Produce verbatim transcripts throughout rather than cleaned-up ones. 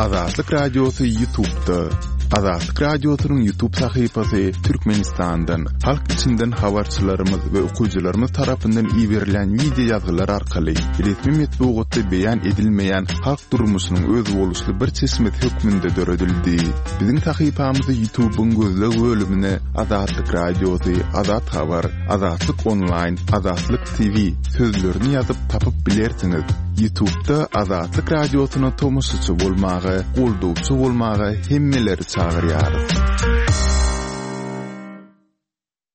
Azatlyk Radiosy YouTube'da. Azatlyk Radiosynyň YouTube sahypasy Türkmenistandan, halk içinden habarçylarymyz we okyjylarymyz tarapyndan iberilen wideo ýazgylar arkaly resmi metbugatda beýan edilmeýän halk durmuşynyň özboluşly bir çeşmesi hökmünde döredildi. Biziň sahypamyzy YouTube'yň gözleg bölümine Azatlyk Radiosy, Azat Habar, Azatlyk Online, Azatlyk T V sözlerini ýazyp tapyp bilersiňiz. YouTube'da Azatlyk Radiosyna tomaşaçy bolmaga, goldawçy bolmaga hemmeleri çagyrýarys.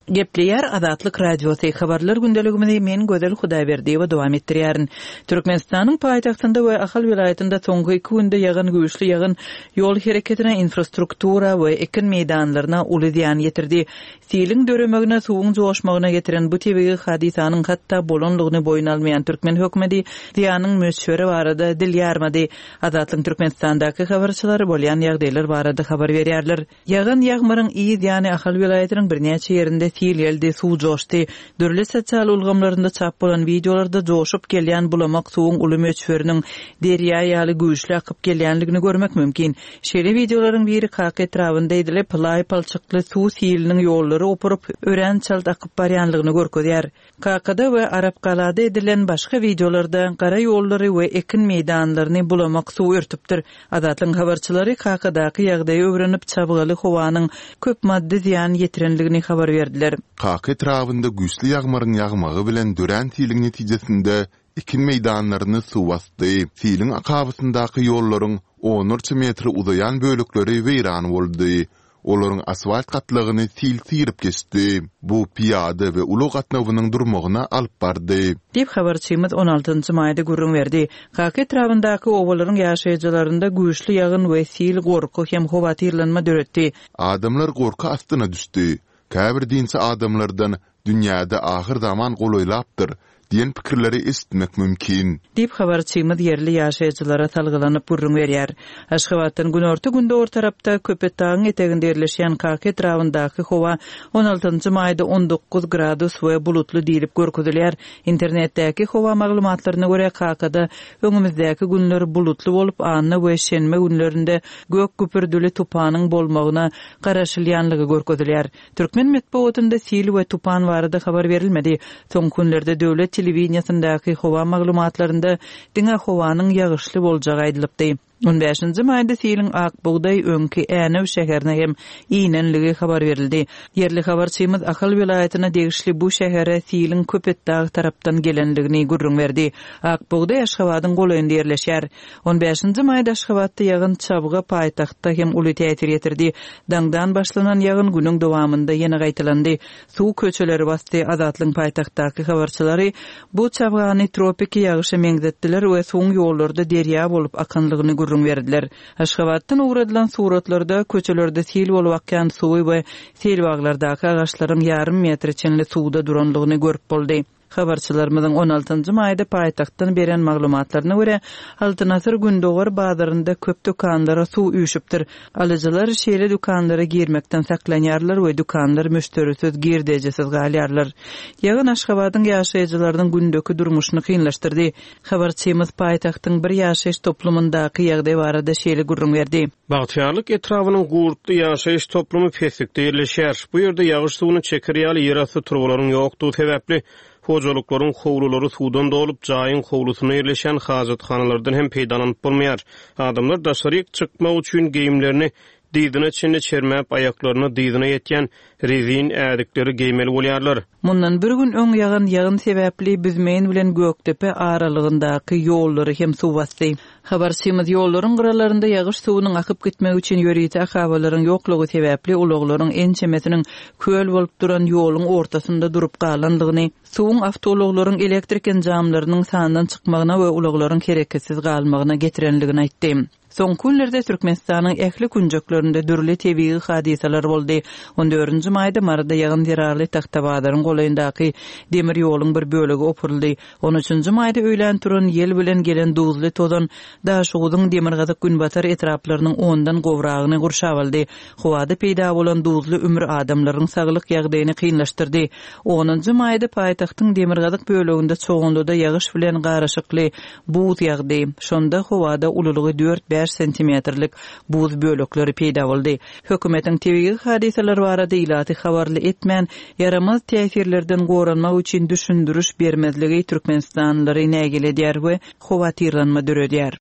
Gepleýär Azatlyk Radiosy, habarlar gündeligimizi men Gözel Hudaýberdiýewa dowam etdirýärin. Türkmenistanyň paýtagtynda we Ahal welaýatynda soňky iki günde ýagan güýçli ýagyn ýol hereketine, infrastruktura we ekin meýdanlaryna uly zyýan ýetirdi. Siliň döremegine, suwuň joşmagyna getiren bu tebigy hadysanyň hatda bolanlygyny boýun almaýan türkmen hökümeti zyýanyň möçberi barada dil ýarmady. Azatlyk Türkmenistandaky habarçylary bolýan ýagdaýlar barada habar berýärler. Ýagan ýagmyryň yz ýany Ahal welaýatynyň birnäçe ýerinde sil geldi, suw joşdy. Dürli sosial ulgamlarynda çap bolan wideolarda joşup gelýän bulamak suwuň uly möçberiniň derýa ýaly güýçli akyp gelýänligini görmek mümkin. Şeýle wideolaryň biri Kaka etrabynda edilip, laý palçykly suw siliniň ýollary opuryp, örän çalt akyp barýanlygyny görkezýär. Kakada we Arapgalada edilen başga wideolarda gara ýollary we ekin meýdanlaryny bulamak suw örtüpdir. Azatlygyň habarçylary Kakadaky ýagdaýy öwrenip, çabgaly howanyň köp maddy zyýan ýetirenligini habar berdiler. Kaka etrabynda güýçli ýagmyryň ýagmagy bilen dörän siliň netijesinde ekin meýdanlaryny suw basdy. Siliň akabasyndaky ýollaryň onlarça metre uzaýan bölekleri weýran boldy. Olaryň asfalt gatlagyny sil syryp geçdi. Bu piýada we ulag gatnawynyň durmagyna alyp bardy. Diýip habarçymyz on altynjy maýda gürrüň berdi. Kaka etrabyndaky obalaryň ýaşaýjylarynda güýçli ýagyn we sil gorky hem howatyrlanma döretdi. Adamlar gorky astyna düşdi. Käbir dinçi adamlardan dünýäde ahyr zaman golaýlapdyr diýen pikirleri eşitmek mümkin. Diýip habarçymyz ýerli ýaşaýjylara salgylanyp gürrüň berýär. Aşgabatdan günorta gündogar tarapda Köpetdagyň eteginde ýerleşýän Kaka etrabyndaky howa on altynjy maýda on dokuz gradus we bulutly diýlip görkezilýär. Internetdäki howa maglumatlaryna görä Kakada öňümizdäki günler bulutly bolup, anna we şenbe günlerinde gök güpürdili tupanyň bolmagyna garaşylýanlygy görkezilýär. Türkmen metbugatynda sil we tupan barada habar berilmedi. Soňky günlerde döwlet telewideniýasyndaky howa maglumatlarynda diňe howanyň ýagyşly boljagy aýdylypdy. On bäşinji maýda siliň Ak Bugdaý öňki Änew şäherine hem inenligi habar berildi. Ýerli habarçymyz Ahal welaýatyna degişli bu şähere siliň Köpetdag tarapdan gelenligini gürrüň berdi. Ak Bugdaý Aşgabadyň golaýynda ýerleşýär. On bäşinji maýda Aşgabatda ýagyn çabga paýtagtda hem uly täsir ýetirdi. Daňdan başlanan ýagyn günüň dowamynda ýene gaýtalandy. Suw köçeleri basdy. Azatlygyň paýtagtdaky habarçylary bu çabgany tropiki ýagyşa meňzetdiler we suwuň ýollarda derýa bolup akanlygyny gürrüň berdiler. Aşgabatdan ugradylan suratlarda köçelerde sil bolup akýan suwy we selbaglardaky agaçlaryň ýarym metre çenli suwda duranlygyny görüp boldy. Habarçylarymyzyň on altynjy maýda paýtagtdan beren maglumatlaryna görä, Altyn Asyr Gündogar bazarynda köp dükanlara suw üýşüpdir. Alyjylar şeýle dükanlara girmekden saklanýarlar we dükanlar müşderisiz, girdejisiz galýarlar. Ýagyn Aşgabadyň ýaşaýjylarynyň gündeki durmuşyny kynlaşdyrdy. Habarçymyz paýtagtyň bir ýaşaýyş toplumyndaky ýagdaý barada şeýle gürrüň berdi. Bagtyýarlyk etrabynyň Gurtly ýaşaýyş toplumy peslikde ýerleşýär. Bu ýerde ýagyş suwuny çeker ýaly ýerasty turbalaryň ýokdugy sebäpli hojalyklaryň howlulary suwdan dolup, jaýyň howlusynda ýerleşen hajathanalardan hem peýdalanyp bolmaýar. Adamlar daşaryk çykmak üçin geýimlerini dyzyna çenli çermäp, aýaklaryna dyzyna ýetýän rezin ädikleri geýmeli bolýarlar. Mundan bir gün öň ýagan ýagyn sebäpli Büzmeýin bilen Gökdepe aralygyndaky ýollary hem suw basdy. Habarçymyz ýollaryň gyralarynda ýagyş suwunyň akyp gitmegi üçin ýörite akabalaryň ýoklugy sebäpli ulaglaryň ençemesiniň köl bolup duran ýoluň ortasynda durup galandygyny, suwuň awtoulaglaryň elektrik enjamlarynyň sandan çykmagyna we ulaglaryň hereketsiz galmagyna getirenligini aýtdy. Soňky günlerde Türkmenistanyň ähli künjeklerinde dürli tebigy hadysalar boldy. On dördünji maýda Maryda ýagyn zerarly Tagtabazaryň golaýyndaky demir ýoluň bir bölegi opuryldy. On üçünji maýda öýlän turan ýel bilen gelen duzly tozan Daşoguzyň demirgazyk günbatar etraplarynyň ondan gowragyny gurşap aldy. Howada peýda bolan duzly ümür adamlaryň saglyk ýagdaýyny kynlaşdyrdy. Onunjy maýda paýtagtyň demirgazyk böleginde çoganlyda ýagyş bilen garyşykly buz ýagdy. Şonda howada ululygy dört bäş bäş sentimetrlik buz bölekleri peýda boldy. Hökümetiň tebigy hadysalar barada ilaty habarly etmän, ýaramaz täsirlerden goranmak üçin düşündiriş bermezligi türkmenistanlylary nägile edýär we howatyrlanma döredýär.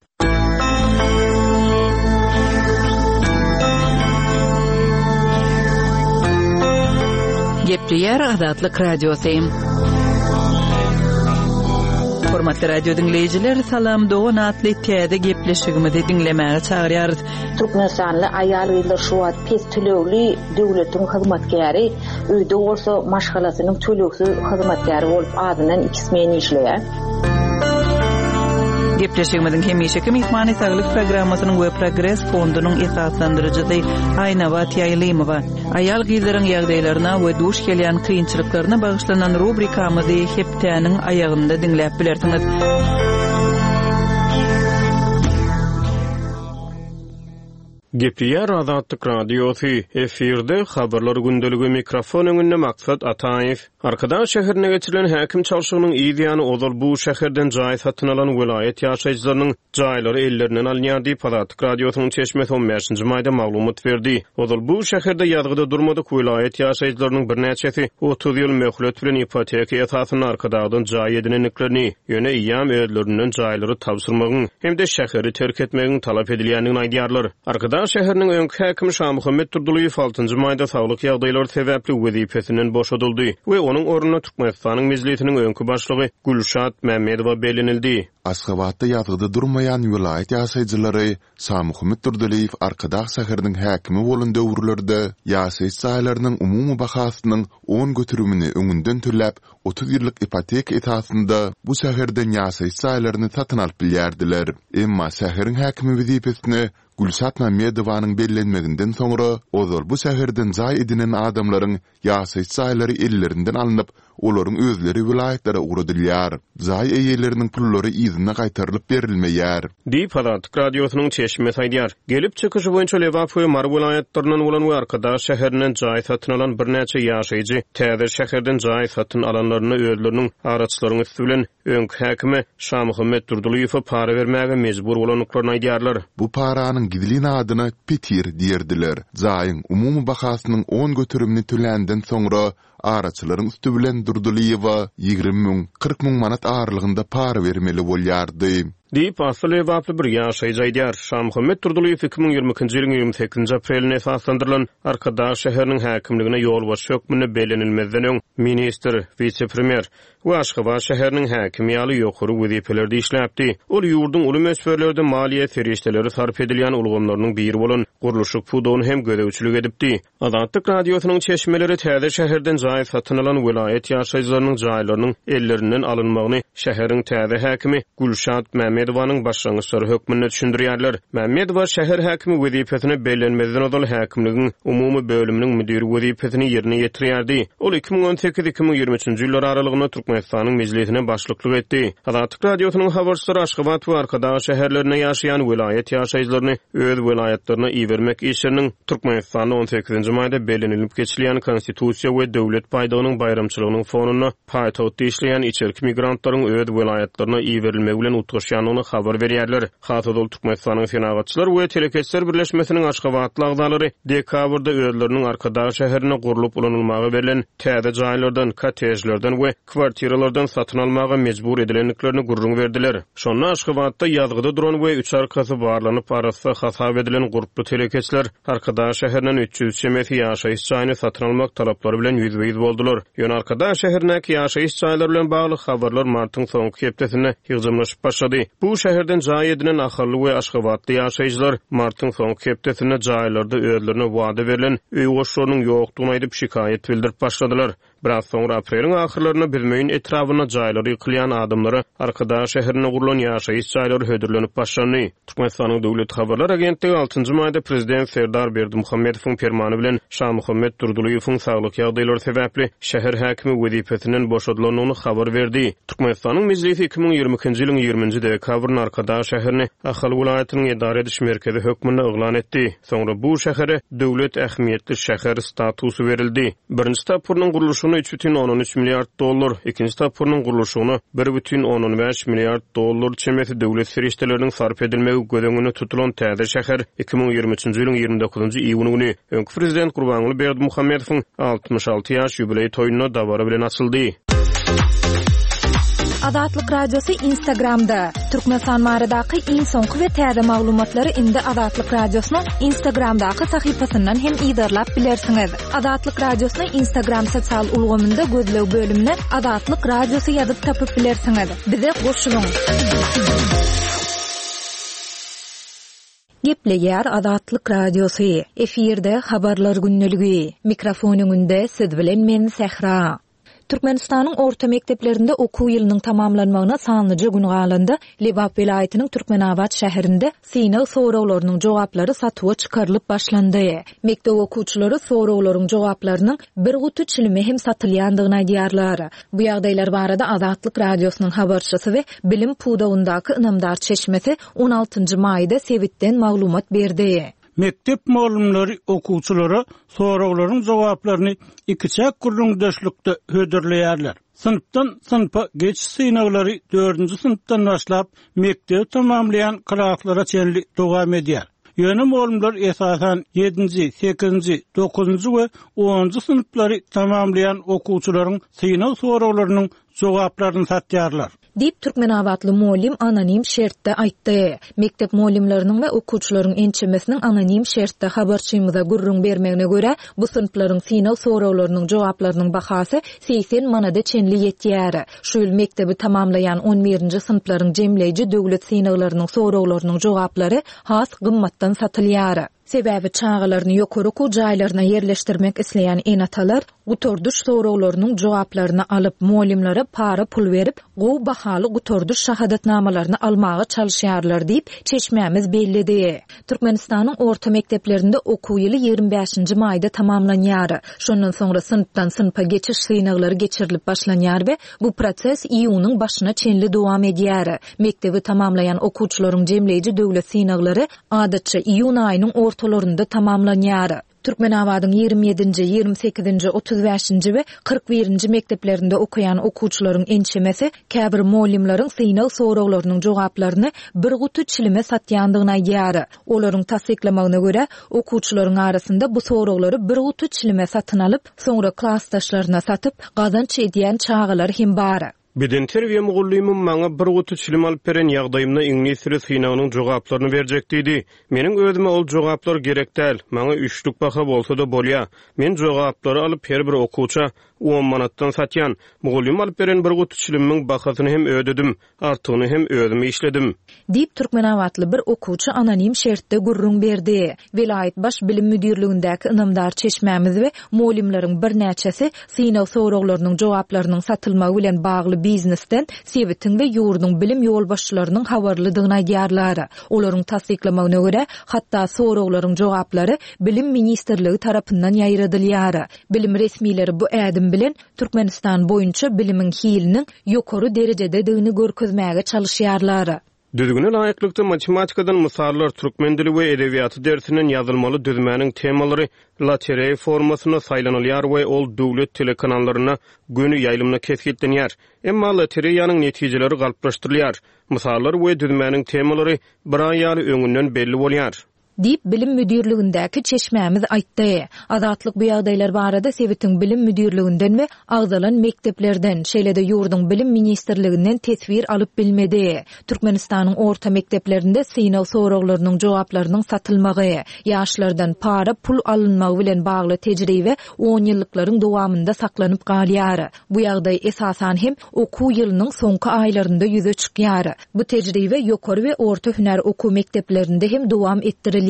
Gepleýär Azatlyk Radiosy. Hormatly radio diňleýjiler, Salam dogan atly täze gepleşigimizi diňlemäge çagyrýarys. Türkmenistanly aýal-gyzlar şu wagt pes tölegli döwletiň hyzmatkäri, öýde bolsa maşgalasynyň tölegsiz hyzmatkäri bolup azyndan iki smen işleýär. Gepleşigimiziň hemişeki myhmany saglyk programmasynyň we Progres fondunyň esaslandyryjysy Aýnabat Ýaýlymowa. Aýal-gyzlaryň ýagdaýlaryna we duş gelýän kynçylyklaryna bagyşlanan rubrikamyzy hepdäniň aýagynda diňläp bilersiňiz. Gepleýär Azatlyk Radiosy, efirde habarlar gündeligi, mikrofon öňünde Maksat Ataýew. Arkadag şäherine geçirilen häkim çalşygynyň yz ýany ozal bu şäherden jaý satyn alan welaýat ýaşaýjylarynyň jaýlary ellerinden alynýar diýip Azatlyk Radiosynyň çeşmesi on bäşinji maýda maglumat berdi. Ozal bu şäherde ýazgyda durmadyk welaýat ýaşaýjylarynyň birnäçesi otuz ýyl möhlet bilen ipoteka esasynda Arkadagdan jaý edinendiklerini, ýöne eýýäm özlerinden jaýlary tabşyrmagyň hem-de şäheri terk etmegiň talap edilýändigini aýdýarlar. Arkadag şäheriniň öňki häkimi Şamuhammet Durdylyýew altynjy maýda saglyk ýagdaýlary sebäpli wezipesinden boşadyldy we onuň ornuna Türkmenistanyň Mejlisiniň öňki başlygy Gülşat Mämmedowa bellenildi. Aşgabatda ýazgyda durmaýan welaýat ýaşaýjylary Şamuhammet Durdylyýew Arkadag şäheriniň häkimi bolan döwürlerde ýaşaýyş jaýlarynyň umumy bahasynyň on göterimini öňünden töläp, otuz ýyllyk ipoteka esasynda bu şäherden ýaşaýyş jaýlaryny satyn alyp bilýärdiler. Emma şäheriň häkimi wezipesine Gülşat Mämmedowanyň bellenmeginden soňra ozal bu şäherden jaý edinen adamlaryň ýaşaýyş jaýlary ellerinden alnyp, olaryň özleri welaýatlara ugradylýar. Jaý eýeleriniň pullary yzyna gaýtarylyp berilmeýär. Diýip Azatlyk Radiosynyň çeşmesi aýdýar. Gelip çykyşy boýunça Lebap we Mary welaýatlaryndan bolan we Arkadag şäherinden jaý satyn alan birnäçe ýaşaýjy täze şäherden jaý satyn alanlaryny özleriniň araçylaryň üsti bilen öňki häkime Şamuhammet Durdylyýewe para bermäge mejbur bolandyklaryny aýdýarlar. Bu paranyň gizlin adyna petir diýerdiler. Jaýyň umumy bahasynyň on göterimini töländen soňra araçylaryň üsti bilen Durdylyýewe ýigrimi müň, kyrk müň manat aralygynda para bermeli bolýardy. Diýip, asly Lebaply bir ýaşaýjy aýdýar. Şamuhammet Durdylyýew iki müň ýigrimi ikinji ýylyň ýigrimi sekizinji aprelinde esaslandyrylan Arkadag şäheriniň häkimligine ýolbaşçy hökmünde bellenilmezden öň ministr, wise-premýer we Aşgabat şäheriniň häkimi ýaly ýokary wezipelerde işläpdi. Ol ýurduň uly möçberlerde maliýe serişdeleri sarp edilýän ulgamlarynyň biri bolan gurluşyk pudagyny hem gözegçilik edipdi. Azatlyk Radiosynyň çeşmeleri täze şäherden jaý satyn alan welaýat ýaşaýjylarynyň jaýlarynyň ellerinden alynmagyny şäheriň täze häkimi Gülşat Mämmedowanyň başlangyçlary hökmünde düşündirýärler. Mämmedowa şäher häkimi wezipesine bellenmezden ozal häkimligiň umumy bölüminiň müdiri wezipesini ýerine ýetirýärdi. Ol iki müň on sekiz iki müň ýigrimi üçünji ýyllar aralygynda Türkmenistanyň Mejlisine başlyklyk etdi. Azatlyk Radiosynyň habarçylary Aşgabat we Arkadag şäherlerinde ýaşaýan welaýat ýaşaýjylaryny öz welaýatlaryna ibermek işleriniň Türkmenistanda on sekizinji maýda bellenilip geçilýän Konstitusiýa we döwlet baýdagynyň baýramçylygynyň fonunda paýtagtda işleýän içerki migrantlaryň öz welaýatlaryna iberilmegi bilen utgaşýandygyny habar berýärler. Has ozal Türkmenistanyň Senagatçylar we Telekeçiler Birleşmesiniň Aşgabatly agzalary dekabrda özleriniň Arkadag şäherinde gurlup ulanylmaga berlen täze jaýlardan, kottejlerden we kwartiralardan satyn almaga mejbur edilendiklerini gürrüň berdiler. Şonda Aşgabatda ýazgyda duran we üç arkasy barlanyp arassa hasap edilen gurply telekeçiler Arkadag şäherinden üç ýüz çemesi ýaşaýyş jaýyny satyn almak talaplary bilen ýüzbe-ýüz boldular. Ýöne Arkadag şäherindäki ýaşaýyş jaýlary bilen bagly habarlar martyň soňky hepdesinde ýygjamlaşyp başlady. Bu şäherden jaý edinen ahally we Aşgabatly ýaşaýjylar martyň soňky hepdesinde jaýlarda özlerine wada berlen öý goşlarynyň ýokdugyny aýdyp şikaýat bildirip başladylar. Biraz soňra apreliň ahyrlarynda Büzmeýin etrabynda jaýlary ýykylýan adamlara Arkadag şäherinde gurulan ýaşaýyş jaýlary hödürlenip başlandy. Türkmenistanyň Döwlet Habarlar Agentligi altynjy maýda Prezident Serdar Berdimuhamedowyň permany bilen Şamuhammet Durdylyýewiň saglyk ýagdaýlary sebäpli şäher häkimi wezipesinden boşadylandygyny habar berdi. Türkmenistanyň Mejlisi iki müň ýigrimi ikinji ýylyň ýigriminji dekabrynda Arkadag şäherini Ahal welaýatynyň edara ediş merkezi hökmünde yglan etdi. Soňra bu şähere döwlet ähmiýetli şäher statusy berildi. Birinji tapgyrynyň gurluşygyna gurluşygyna üç bütin ondan üç milliard dollar, ikinji tapgyrynyň gurluşygyna bir bütin ondan bäş milliard dollar çemesi döwlet serişdeleriniň sarp edilmegi göz öňünde tutulan täze şäher iki müň ýigrimi üçünji ýylyň ýigrimi dokuzynjy iýun güni öňki prezident Gurbanguly Berdimuhamedowyň altmyş alty ýaş ýubileý toýunda dabara bilen açyldy. Azatlyk Radiosy Instagramda. Türkmenistan baradaky iň soňky we täze maglumatlary indi Azatlyk Radiosynyň Instagramdaky sahypasyndan hem yzarlap bilersiňiz. Azatlyk Radiosyny Instagram sosial ulgamynda gözleg bölümine Azatlyk Radiosy ýazyp tapyp bilersiňiz. Bize goşulyň. Gepleýär Azatlyk Radiosy. Efirde habarlar gündeligi. Mikrofon öňünde siz bilen men Sähra. Türkmenistanyň orta mekdeplerinde okuw ýylynyň tamamlanmagyna sanlyja gün galanda Lebap welaýatynyň Türkmenabat şäherinde synag soraglarynyň jogaplary satuwa çykarylyp başlandy. Mekdep okuwçylary soraglaryň jogaplarynyň bir guty çilime hem satylýandygyny aýdýarlar. Bu ýagdaýlar barada Azatlyk Radiosynyň habarçysy we bilim pudagyndaky ynamdar çeşmesi on altynjy maýda sebitden maglumat berdi. Mektep mugallymlary okuwçylara soraglaryň jogaplaryny ikiçäk gürrüňdeşlikde hödürleýärler. Synpdan synpa geçiş synaglary dördünji synpdan başlap mekdebi tamamlaýan klaslara çenli dowam edýär. Ýöne mugallymlar esasan ýedinji, sekizinji, dokuzynjy we onunjy synplary tamamlaýan okuwçylaryň synag soraglarynyň jogaplaryny satýarlar. Diýip Türkmenabatly mugallym anonim şertde aýtdy. Mekdep mugallymlarynyň we okuwçylaryň ençemesiniň anonim şertde habarçymyza gürrüň bermegine görä, bu synplaryň synag soraglarynyň jogaplarynyň bahasy segsen manada çenli ýetýär. Şu ýyl mekdebi tamamlaýan on birinji synplaryň jemleýji döwlet synaglarynyň soraglarynyň jogaplary has gymmatdan satylýar. Sebäbi çagalaryny ýokary okuw jaýlaryna ýerleşdirmek isleýän ene-atalar gutardyş soraglarynyň jogaplaryny alyp, mugallymlara para pul berip, gowy bahaly gutardyş şahadatnamalaryny almaga çalyşýarlar diýip, çeşmämiz belledi. Türkmenistanyň orta mekdeplerinde okuw ýyly ýigrimi bäşinji maýda tamamlanýar. Şondan soňra synpdan synpa geçiş synaglary geçirilip başlanýar we bu proses iýunyň başyna çenli dowam edýär. Mekdebi tamamlaýan okuwçylaryň jemleýji döwlet synaglary adatça iýun aýynyň ortalarynda tamamlanýar. Türkmenabadyň ýigrimi ýedinji, ýigrimi sekizinji, otuz bäşinji we kyrk birinji mekdeplerinde okaýan okuwçylaryň ençemesi käbir mugallymlaryň synag soraglarynyň jogaplaryny bir guty çilime satýandygyny aýdýar. Olaryň tassyklamagyna görä, okuwçylaryň arasynda bu soraglary bir guty çilime satyn alyp, soňra klasdaşlaryna satyp, gazanç edýän çagalar hem bar. Beden terbiýe mugallymym maňa bir guty çilim alyp beren ýagdaýymda iňlis dili synagynyň jogaplaryny berjek diýdi. Meniň özüme ol jogaplar gerek däl, maňa üçlük baha bolsa-da bolýa. Men jogaplary alyp her bir okuwça on manatdan satýan. Mugallym alyp beren bir guty çilimiň bahasyny hem ödedim, artygyny hem özüm işledim. Diýip Türkmenabatly bir okuwçy anonim şertde gürrüň berdi. Welaýat baş bilim müdirligindäki ynamdar çeşmämiz we mugallymlaryň birnäçesi synag soraglarynyň jogaplarynyň satylmagy bilen bagly biznesden sebitiň we ýurduň bilim ýolbaşçylarynyň habarlydygyny aýdýarlar. Olaryň tassyklamagyna görä, hatda soraglaryň jogaplary Bilim ministrligi tarapyndan ýaýradylýar. Bilim resmileri bu ädim bilen Türkmenistan boýunça bilimiň hiliniň ýokary derejededigini görkezmäge çalyşýarlar. Düzgüne laýyklykda matematikadan mysallar türkmen dili we edebiýaty dersinden ýazylmaly düzmäniň temalary lotereýa formasynda saýlanylýar we ol döwlet telekanallarynda göni ýaýlymda kesgitlenýär. Emma lotereýanyň netijeleri galplaşdyrylýar. Mysallar we düzmäniň temalary bir aý ýaly öňünden belli bolýar. Diýip bilim müdirligindäki çeşmämiz aýtdy. Azatlyk bu ýagdaýlar barada sebitiň bilim müdirliginden we agzalan mekdeplerden, şeýle-de ýurduň bilim ministrliginden teswir alyp bilmedi. Türkmenistanyň orta mekdeplerinde synag soraglarynyň jogaplarynyň satylmagy, ýaşlardan para pul alynmagy bilen bagly tejribe on ýyllyklaryň dowamynda saklanyp galýar. Bu ýagdaý esasan hem okuw ýylynyň soňky aýlarynda ýüze çykýar. Bu tejribe ýokary we orta hünär okuw mekdeplerinde hem dowam etdirilýär.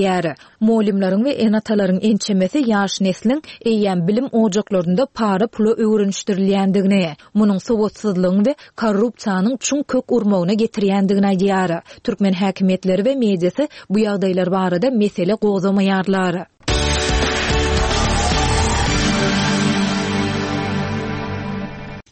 Mugallymlaryň we ene-atalaryň ençemesi ýaş nesliň eýýäm bilim ojaklarynda para pula öwrenişdirilýändigini, munuň sowatsyzlygyň we korrupsiýanyň çuň kök urmagyna getirýändigini aýdýar. Türkmen häkimiýetleri we mediasy bu ýagdaýlar barada mesele gozamaýarlar.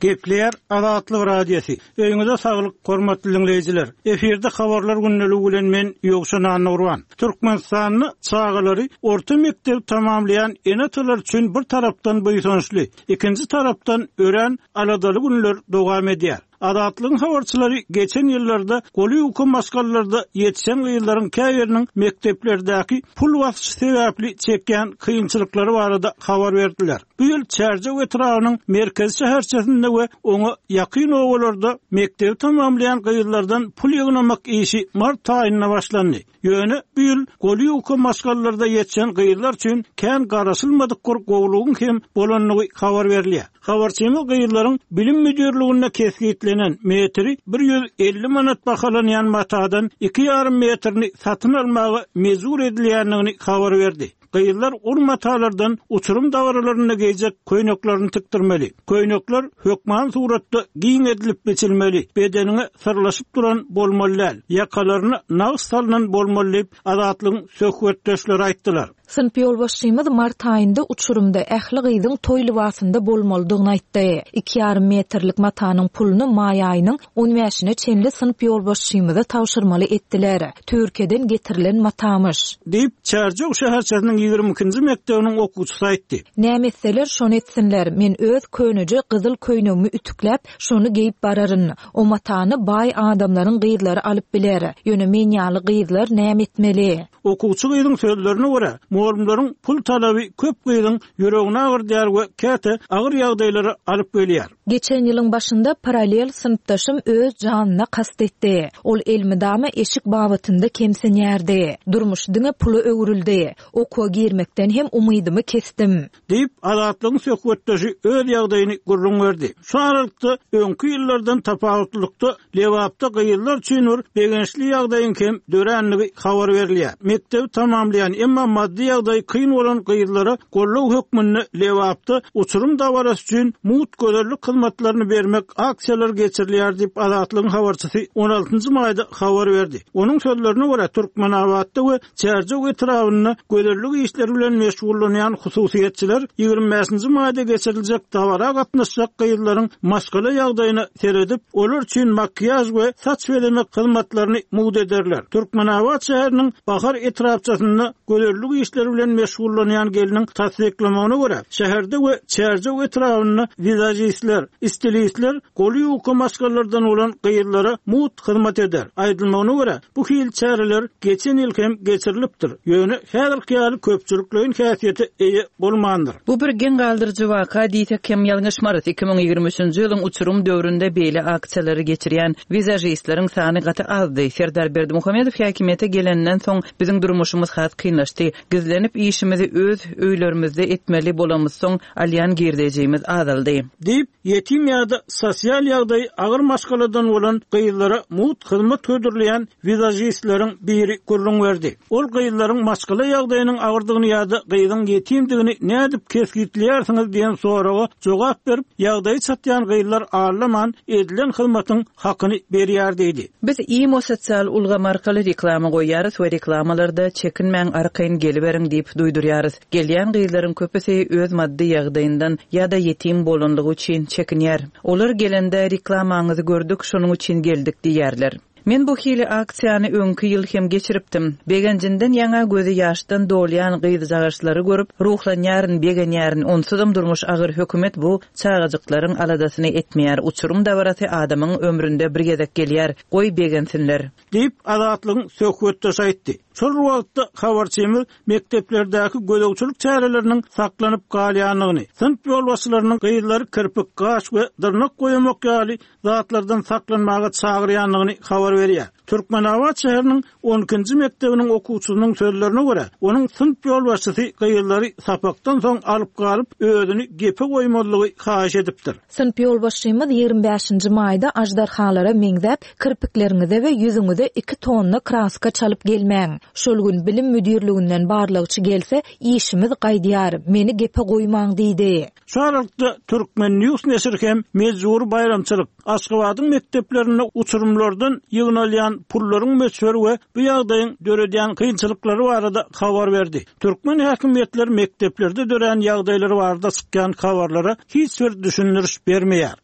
Gepleýär Azatlyk Radiosy. Öýüňize saglyk, hormatly diňleýjiler. Efirde habarlar gündeligi bilen men Ýowşan Annagurban. Türkmenistanda çagalary orta mekdep tamamlaýan ene-atalar üçin bir tarapdan buýsançly, ikinji tarapdan örän aladaly günler dowam edýär. Azatlygyň habarçylary geçen ýyllarda goly ýuka maşgalalarda ýetişen gyzlaryň käbiriniň mekdeplerdäki pul basyşy sebäpli çekýän kynçylyklary barada habar berdiler. Bu ýyl Çärjew etrabynyň merkezi şäherçesinde we oňa ýakyn obalarda mekdebi tamamlaýan gyzlardan pul ýygnamak işi mart aýynda başlandy. Ýöne bu ýyl goly ýuka maşgalalarda ýetişen gyzlar üçin kän garaşylmadyk bir gowlugyň hem bolandygy habar berilýär. Habarçymyz gyzlaryň bilim müdirliginde kesgitlenen metri bir ýüz elli manat bahalanýan matadan iki ýarym metrini satyn almaga mejbur edilýändigini habar berdi. Gyzlar ol matalardan uçurum dabaralarynda geýjek köýneklerini tikdirmeli. Köýnekler hökman suratda giň edilip biçilmeli, bedeniňe syrlaşyp duran bolmaly däl, ýakalaryna nagyş salynan bolmaly diýip, Azatlygyň söhbetdeşleri aýtdylar. Synp ýolbaşçymyz mart aýynda uçurumda ähli gyzyň toý lybasynda bolmalydygyny aýtdy. Iki ýarym metrlik matanyň puluny maý aýynyň on bäşine çenli synp ýolbaşçymyza tabşyrmaly etdiler. Türkiýeden getirilen matamyş. Diýip, Çärjew şäherçesiniň ýigrimi ikinji mekdebiniň okuwçysy aýtdy. Näme etseler şony etsinler. Men öz köneje gyzyl köýnegimi ütükläp, şony geýip bararyn. O matany baý adamlaryň gyzlary alyp biler. Ýöne men ýaly gyzlar näme etmeli? Okuwçy gyzyň sözlerine görä, mugallymlaryň pul talaby köp gyzyň ýüregini agyrdyar we käte agyr ýagdaýlara alyp gelýär. Geçen ýylyň başynda paralel synpdaşym öz janyna kast etdi. Ol elmydama eşik babatynda kemsinýärdi. Durmuş diňe pula öwrüldi. Okuwa girmekden hem umydymy kesdim. Diýip, Azatlygyň söhbetdeşi öz ýagdaýyny gürrüň berdi. Şu aralykda öňki ýyllardan tapawutlylykda Lebapda gyzlar üçin bir begençli ýagdaýyň hem döränligi habar berilýär. Mekdebi tamamlaýan, emma maddy ýagdaýy kyn bolan gyzlara gollag hökmünde Lebapda uçurum dabarasy üçin mugt gözellik hyzmatlaryny bermek aksiýalary geçirilýär diýip, Azatlygyň habarçysy on altynjy maýda habar berdi. Onuň sözlerine görä, Türkmenabatda we Çärjew etrabynda gözellik işleri bilen meşgullanýan hususyýetçiler ýigrimi bäşinji maýda geçiriljek dabara gatnaşjak gyzlaryň maşgala ýagdaýyna seredip, olar üçin makiýaž we saç bezemek hyzmatlaryny mugt ederler. Türkmenabat şäheriniň Bahar etrapçasynda gözellik işleri bilen meşgullanýan gelniň tassyklamagyna görä, şäherde we Çärjew etrabynda wizažistler, stilistler goly ýuka maşgalalardan bolan gyzlara mugt hyzmat eder. Aýdylmagyna görä, bu hil çäreler geçen ýyl hem geçirilipdir. Ýöne häzirki ýaly köpçülikleýin häsiýete eýe bolmandyr. Bu bir geň galdyryjy waka diýsek hem ýalňyşmarys. Iki müň ýigrimi üçünji ýylyň uçurum döwründe beýle aksiýalary geçirýän wizažistleriň sany gaty azdy. Serdar Berdimuhamedow häkimiýete gelenden soň biziň durmuşymyz has kynlaşdy. Gizlenip işimizi öz öýlerimizde etmeli bolamyzsoň alýan girdejimiz azaldy. Diýip, ýetim ýa-da sosial ýagdaýy agyr maşgaladan bolan gyzlara mugt hyzmat hödürleýän wizažistleriň biri gürrüň berdi. Ol gyzlaryň maşgala ýagdaýynyň agyrdygyny ýa-da gyzyň ýetimdigini nädip kesgitleýärsiňiz diýen soraga jogap berip, ýagdaýy çatýan gyzlar allaman edilen hyzmatyň hakyny berýär diýdi. Biz imo sosial ulgam arkaly reklama goýýarys we reklamalarda çekinmäň arkaýyn geliberiň diýip duýdurýarys. Gelýän gyzlaryň köpüsi öz maddy ýagdaýyndan ýa-da ýetim bolanlygy üçin çekinýär. Olar gelende reklamaňyzy gördük, şonuň üçin geldik diýýärler. Men bu hili aksiýany öňki ýyl hem geçiripdim. Begenjinden ýaňa gözi ýaşdan dolýan gyzjagaşlary görüp, ruhlanýaryn, begenýärin. Onsuzam durmuş agyr, hökümet bu çagajyklaryň aladasyny etmeýär. Uçurum dabarasy adamyň ömründe bir gezek gelýär. Goý begensinler. Diýip, Azatlygyň söhbetdeşi aýtdy. Şol wagtda habarçymyz mekdeplerdäki gözegçilik çäreleriniň saklanyp galýandygyny, synp ýolbaşçylarynyň gyzlary kirpik, gaş we dyrnak goýmak ýaly zatlardan saklanmaga çagyrýandygyny habar berýär. Türkmenabat şäheriniň on ikinji mekdebiniň okuwçysynyň sözlerine görä, onuň synp ýolbaşçysy gyzlary sapakdan soň alyp galyp, özüni gepe goýmazlygy haýyş edipdir. Synp ýolbaşçymyz ýigrimi bäşinji maýda aždarhalara meňzäp, kirpikleriňize we ýüzüňize iki tonna kraska çalyp gelmäň. Şol gün bilim müdirliginden barlagçy gelse, işimiz gaýdýar, meni gepe goýmaň diýdi. Şu aralykda Türkmen News neşiri hem mejbur baýramçylyk Aşgabadyň mekdeplerinde uçurumlardan ýygnalýan pullaryň möçberi we bu ýagdaýyň döredýän kynçylyklary barada habar berdi. Türkmen häkimiýetleri mekdeplerde dörän ýagdaýlary barada çykýan habarlara hiç bir düşündiriş bermeýär.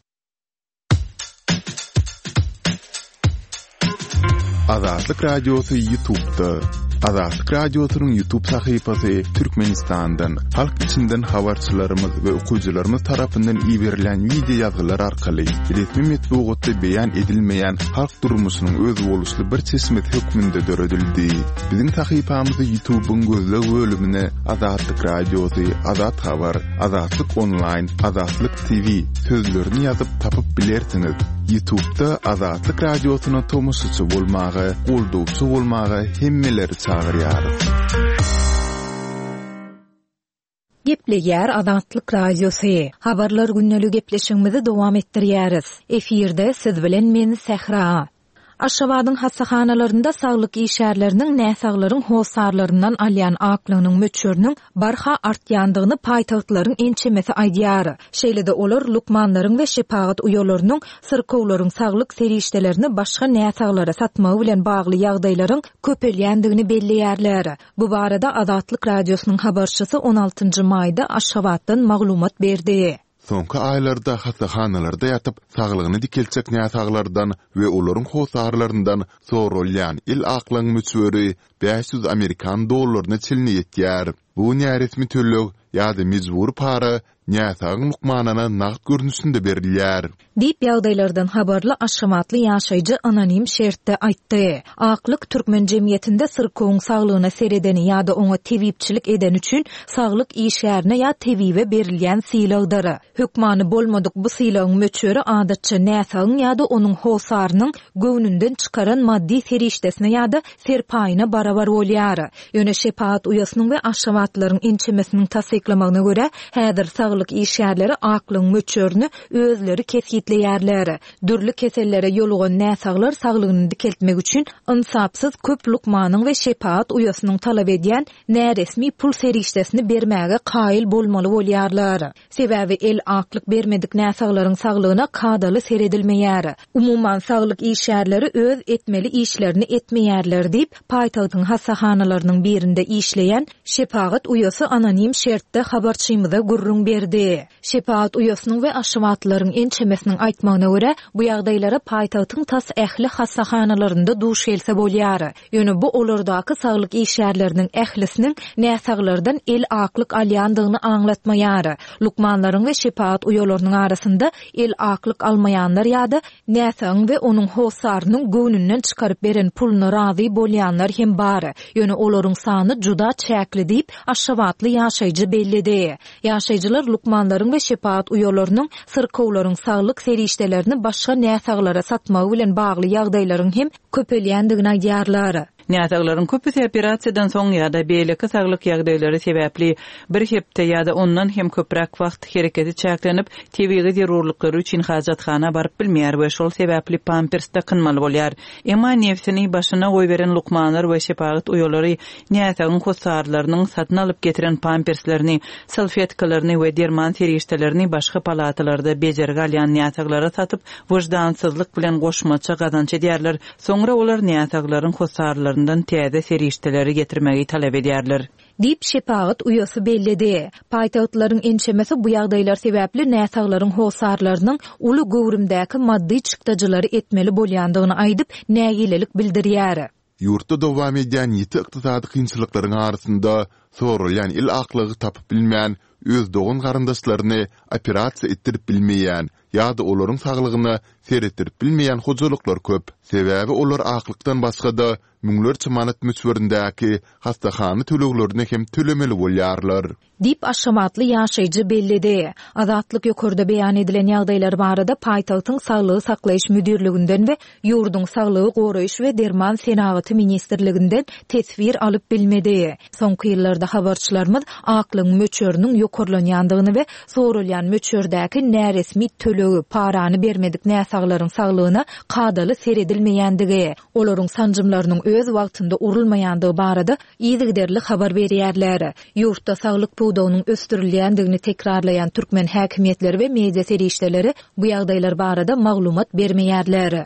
Azatlyk Radiosy YouTube'da. Azatlyk Radiosynyň YouTube sahypasy Türkmenistandan, halk içinden habarçylarymyz we okyjylarymyz tarapyndan iberilen wideo ýazgylar arkaly resmi metbugatda beýan edilmeýän halk durmuşynyň özboluşly bir çeşmesi hökmünde döredildi. Biziň sahypamyzy YouTube'yň gözleg bölümine Azatlyk Radiosy, Azat Habar, Azatlyk Online, Azatlyk T V sözlerini ýazyp tapyp bilersiňiz. YouTube'da Azatlyk Radiosyna tomaşaçy bolmaga, goldawçy bolmaga hemmeleri çagyrýarys. Gepleýär Azatlyk Radiosy. Habarlar günlük gepleşigimizi dowam etdirýäris. Efirde siz bilen men Sähra. Aşgabadyň hassahanalarynda saglyk işgärleriniň näsaglaryň hossarlaryndan alýan aklygynyň möçberiniň barha artýandygyny paýtagtlaryň ençemesi aýdýar. Şeýle-de olar lukmanlaryň we şepagat uýalarynyň syrkawlaryň saglyk serişdelerini başga näsaglara satmagy bilen bagly ýagdaýlaryň köpelýändigini belleýärler. Bu barada Azatlyk Radiosynyň habarçysy on altynjy maýda Aşgabatdan maglumat berdi. Soňky aýlarda hassahanalarda ýatyp, saglygyny dikeltjek näsaglardan we olaryň hossarlaryndan sorulýan el aklygyň möçberi bäş ýüz amerikan dollaryna çenli ýetýär. Bu näresmi töleg ýa-da mejbury para näsagyň lukmanyna nagt görnüşinde berilýär. Diýip ýagdaýlardan habarly Aşgabatly ýaşaýjy anonim şertde aýtdy. Aklyk türkmen jemgyýetinde syrkawuň saglygyna seredeni ýa-da oňa tebipçilik eden üçin saglyk işgärine ýa tebibe berilýän sylagdyr. Hökmany bolmadyk bu sylagyň möçberi adatça näsagyň ýa-da onuň hossarynyň göwnünden çykaran maddy serişdesine ýa-da serpaýyna barabar bolýar. Ýöne şepagat uýasynyň we Aşgabatlylaryň ençemesiniň tassyklamagyna görä, häzir saglyk işgärleri aklygyň möçberini özleri kesgitleýärler. Dürli kesellere ýolugan näsaglar saglygyny dikeltmek üçin ynsapsyz köp lukmanyň we şepagat uýasynyň talap edýän näresmi pul serişdesini bermäge kaýyl bolmaly bolýarlar. Sebäbi el aklyk bermedik näsaglaryň saglygyna kadaly seredilmeýär. Umuman saglyk işgärleri öz etmeli işlerini etmeýärler diýip, paýtagtyň hassahanalarynyň birinde işleýän şepagat uýasy anonim şertde habarçymyza gürrüň berdi. Şepagat uýasynyň we Aşgabatlylaryň ençemesiniň aýtmagyna görä, bu ýagdaýlara paýtagtyň tas ähli hassahanalarynda duş gelse bolýar. Ýöne bu olardaky saglyk işgärleriniň ählisiniň näsaglardan el aklyk alýandygyny aňlatmaýar. Lukmanlaryň we şepagat uýalarynyň arasynda el aklyk almaýanlar ýa-da näsagyň we onuň hossarynyň göwnünden çykaryp beren puluna razy bolýanlar hem bar. Ýöne olaryň sany juda çäkli diýip, Aşgabatly ýaşaýjy belledi. Ýaşaýjylar lukmanlaryň we şepagat uýalarynyň syrkawlaryň saglyk serişdelerini başga näsaglara satmagy bilen bagly ýagdaýlaryň hem köpelýändigini aýdýarlar. Näsaglaryň köpüsi operasiýadan soň ýa-da beýleki saglyk ýagdaýlary sebäpli bir hepde ýa-da ondan hem köpräk wagt hereketi çäklenip, tebigy zerurlyklary üçin hajathana baryp bilmeýär we şol sebäpli pampers dakynmaly bolýar. Emma nefsini başyna goýberen lukmanlar we şepagat uýalary näsagyň hossarlarynyň satyn alyp getiren pamperslerini, salfetkalaryny we derman serişdelerini başga palatalarda bejergi alýan näsaglara satyp, wyždansyzlyk bilen goşmaça gazanç edýärler. Soňra olar näsaglaryň hossarlaryndan täze serişdeleri getirmegi talap edýärler. Diýip şepagat uýasy belledi. Paýtagtlaryň ençemesi bu ýagdaýlar sebäpli näsaglaryň hossarlarynyň uly göwrümdäki maddy çykdajylary etmeli bolýandygyny aýdyp, nägilelik bildirýär. Ýurtda dowam edýän ýiti ykdysady kynçylyklaryň arasynda sorulýan el aklygy tapyp bilmän, öz dogan garyndaşlaryny operasiýa etdirip bilmeýän ýa-da olaryň saglygyna seretdirip bilmeýän hojalyklar köp. Sebäbi olar aklykdan başga-da müňlerçe manat möçberindäki hastahana töleglerini hem tölemeli bolýarlar. Diýip Aşgabatly ýaşaýjy belledi. Azatlyk ýokarda beýan edilen ýagdaýlar barada paýtagtyň saglygy saklaýyş müdirliginden we ýurduň saglygy goraýyş we derman senagaty ministrliginden teswir alyp bilmedi. Soňky ýyllarda habarçylarymyz aklygyň möçberiniň ýokarlanýandygyny we sorulýan möçberdäki näresmi tölegi, parany bermedik näsaglaryň saglygyna kadaly seredilmeýändigi, olaryň sanjymlarynyň öz wagtynda urulmaýandygy barada yzygiderli habar berýärler. Ýurtda saglyk pudagynyň ösdürilýändigini tekrarlaýan türkmen häkimiýetleri we media serişdeleri bu ýagdaýlar barada maglumat bermeýärler.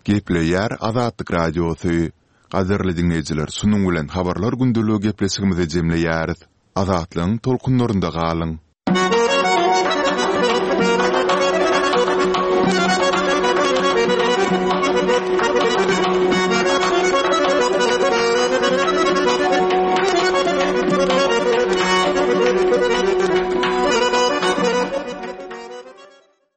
Gepleýär Azatlyk Radiosy. Gadyrly dinleýjiler, şunuň bilen habarlar gündeligi gepleşigimizi jemleýäris. Azatlygyň tolkunlarynda galyň.